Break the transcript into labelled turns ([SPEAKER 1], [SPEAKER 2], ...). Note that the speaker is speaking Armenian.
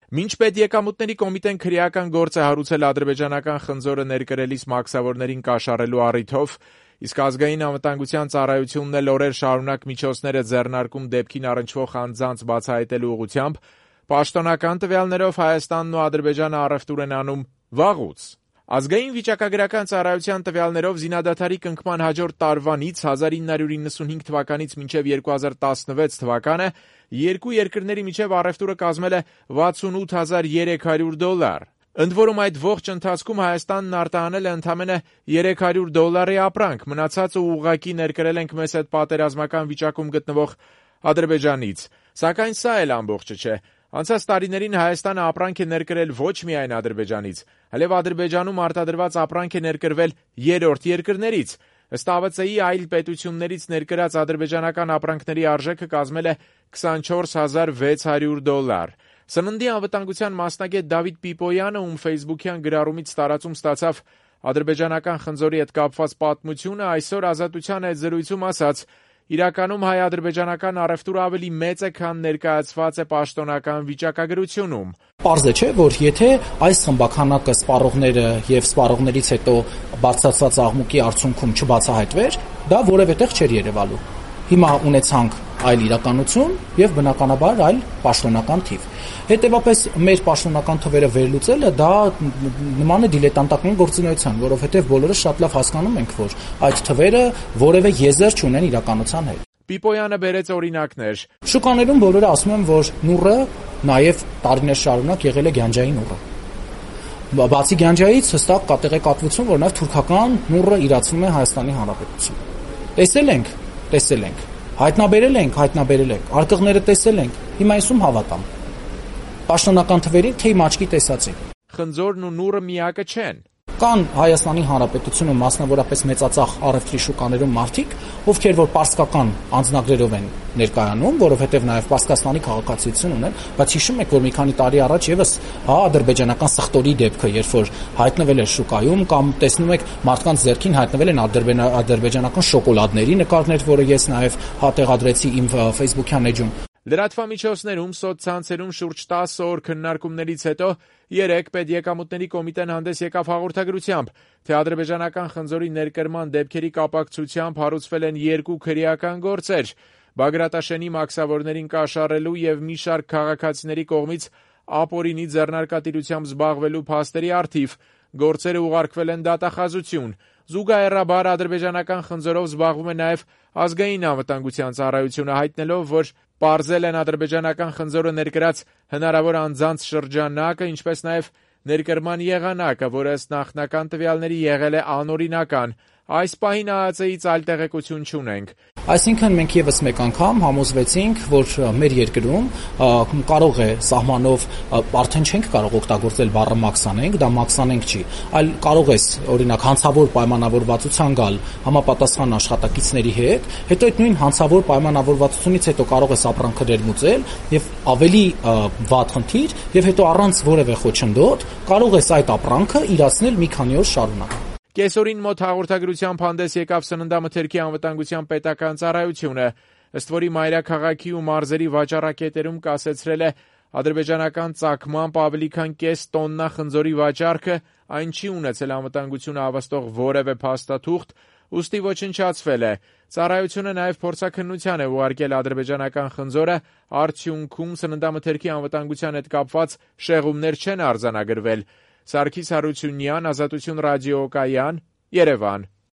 [SPEAKER 1] Մինչ Պետեկամուտների կոմիտեն քրեական գործ է հարուցել ադրբեջանական խնձորը ներկրելիս մաքսավորներին կաշառելու առիթով, իսկ ազգային անվտանգության ծառայությունն էլ օրեր շարունակ միջոցներ է ձեռնարկում դեպքին առնչվող անձանց բացահայտելու ուղղությամբ, պաշտոնական տվյալներով Հայաստանն ու Ադրբեջանը առևտուր են անում վաղուց։ Ազգային վիճակագրական ծառայության տվյալներով զինադադարի կնքման հաջորդ տարվանից 1995 թվականից մինչև 2016 թվականը երկու երկրների միջև առևտուրը կազմել է $68,300։ Ընդ որում այդ ողջ ընթացքում Հայաստանն արտահանել է ընդամենը $300 ապրանք, մնացածը ուղղակի ներկրել ենք մեզ հետ պատերազմական վիճակում գտնվող Ադրբեջանից։ Սակայն սա էլ ամբողջը չէ։ Անցած տարիներին Հայաստանը ապրանք է ներկրել ոչ միայն Ադրբեջանից, այլև Ադրբեջանում արտադրված ապրանք է ներկրվել երրորդ երկրներից։ Ըստ ԱՎԾ-ի այլ պետություններից ներկրած ադրբեջանական ապրանքների արժեքը կազմել է $24,600։ Սննդի անվտանգության մասնագետ Դավիթ Պիպոյանը, ում ֆեյսբուքյան գրառումից տարածում ստացավ ադրբեջանական խնձորի հետ կապված պատմությունը, այսօր Ազատության հետ զրույցում ասաց. «Իրականում հայ-ադրբեջանական առևտուրը ավելի մեծ է, քան ներկայացված է պաշտոնական վիճակագրությունում»։
[SPEAKER 2] Պարզ է, չէ, որ եթե այս խմբաքանակը սպառողները եւ սպառողներից հետո բարձրացված աղմուկի արդյունքում չբացահայտվեր, դա որևէ տեղ չէր երևալու։ Հիմա ունեցանք այլ իրականություն եւ բնականաբար այլ պաշտոնական թիվ։ Հետևաբար մեր պաշտոնական թվերը վերլուծելը դա նման է դիլետանտական գործունեության, որովհետեւ բոլորս շատ լավ հասկանում ենք, որ այդ թվերը որևէ եզր չունեն իրականության հետ։
[SPEAKER 1] Պիպոյանը բերեց օրինակներ.
[SPEAKER 2] Շուկաներում բոլորը ասում են, որ նուռը նաեւ տարիներ շարունակ եղել է գյանջային նուռը։ Բացի գյանջայից հստակ կատեղեկատվություն, որ նաեւ թուրքական նուռը իրացվում է Հայաստանի Հանրապետությունում։ Տեսել ենք։ Հայտնաբերել ենք, արկղները տեսել ենք, հիմա այսում հավատամ։ Պաշտոնական թվերին թե իմ աչքի տեսածին։
[SPEAKER 1] Խնձորն ու նուռը միակը չեն։
[SPEAKER 2] Կան Հայաստանի Հանրապետությունում մասնավորապես մեծածախ առևտրի շուկաներում մարդիկ, ովքեր որ պարսկական անձնագրերով են ներկայանում, որովհետև նաև Պարսկաստանի քաղաքացիություն ունեն, բայց հիշում եք, որ մի քանի տարի առաջ եւս ադրբեջանական սխտորի դեպքը, երբ որ հայտնվել էր շուկայում, կամ տեսնում եք մարդկանց ձեռքին հայտնվել են ադրբեջանական շոկոլադների նկարներ, որը ես նաև տեղադրեցի իմ ֆեյսբուքյան էջում։
[SPEAKER 1] Լրատվամիջոցներում, սոցցանցերում շուրջ 10 օր քննարկումներից հետո երեկ Պետեկամուտների կոմիտեն հանդես եկավ հաղորդագրությամբ, թե ադրբեջանական խնձորի ներկրման դեպքերի կապակցությամբ հարուցվել են երկու քրեական գործեր՝ Բագրատաշենի մաքսավորներին կաշառելու եւ մի շարք քաղաքացիների կողմից ապօրինի ձեռնարկատիրությամբ զբաղվելու փաստերի առթիվ։ Գործերը ուղարկվել են դատախազություն։ Զուգահեռաբար ադրբեջանական խնձորով զբաղվում է նաև ազգային անվտանգության ծառայությունը, հայտնելով, որ պարզել են ադրբեջանական խնձորը ներկրած հնարավոր անձանց շրջանակը, ինչպես նաև ներկրման եղանակը, որը ըստ նախնական տվյալների եղել է անօրինական։ Այս պահին ԱԱԾ-ից այլ տեղեկություն չունենք։
[SPEAKER 2] Այսինքն մենք եւս մեկ անգամ համոզվեցինք, որ մեր երկրում կարող է սահմանով արդեն չենք կարող օգտագործել բառը մաքսանենք, դա մաքսանենք չի, այլ կարող ես օրինակ հանցավոր պայմանավորվածության գալ համապատասխան աշխատակիցների հետ, հետո այդ նույն հանցավոր պայմանավորվածությունից հետո կարող ես ապրանքը ներմուծել եւ ավելի վատ խնդիր եւ հետո առանց որևէ խոչընդոտ կարող ես այդ ապրանքը իրացնել մի քանի օր շարունակ։
[SPEAKER 1] Կեսօրին մոտ հաղորդագրությամբ հանդես եկավ Սննդամթերքի անվտանգության պետական ծառայությունը, ըստ որի մայրաքաղաքի ու մարզերի վաճառակետերում կասեցրել է ադրբեջանական ծագմամբ ավելի քան կես տոննա խնձորի վաճառքը, այն չի ունեցել անվտանգությունը հավաստող որևէ փաստաթուղթ, ուստի ոչնչացվել է։ Ծառայությունը նաև փորձաքննության է ուղարկել ադրբեջանական խնձորը, արդյունքում Սննդամթերքի անվտանգության հետ կապված շեղումներ չեն արձանագրվել։ Սարգիս Հարությունյան, Ազատություն ռադիոկայան, Երևան։